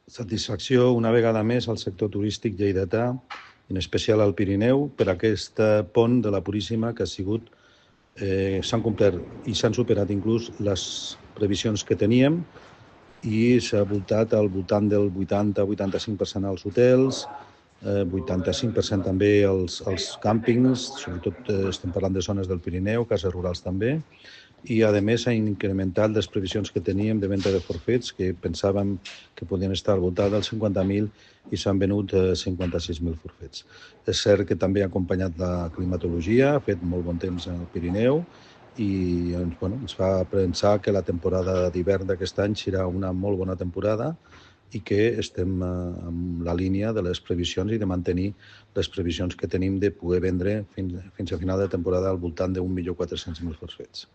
Satisfacció una vegada més al sector turístic lleidatà, en especial al Pirineu, per aquest pont de la Puríssima que ha sigut, s'han complert i s'han superat inclús les previsions que teníem i s'ha voltat al voltant del 80-85% als hotels, 85% també als càmpings, sobretot estem parlant de zones del Pirineu, cases rurals també, i a més s'han incrementat les previsions que teníem de venda de forfets, que pensàvem que podien estar al voltant dels 50.000 i s'han venut 56.000 forfets. És cert que també ha acompanyat la climatologia, ha fet molt bon temps al Pirineu i ens fa pensar que la temporada d'hivern d'aquest any serà una molt bona temporada i que estem en la línia de les previsions i de mantenir les previsions que tenim de poder vendre fins a final de temporada al voltant d'1.400.000 forfets.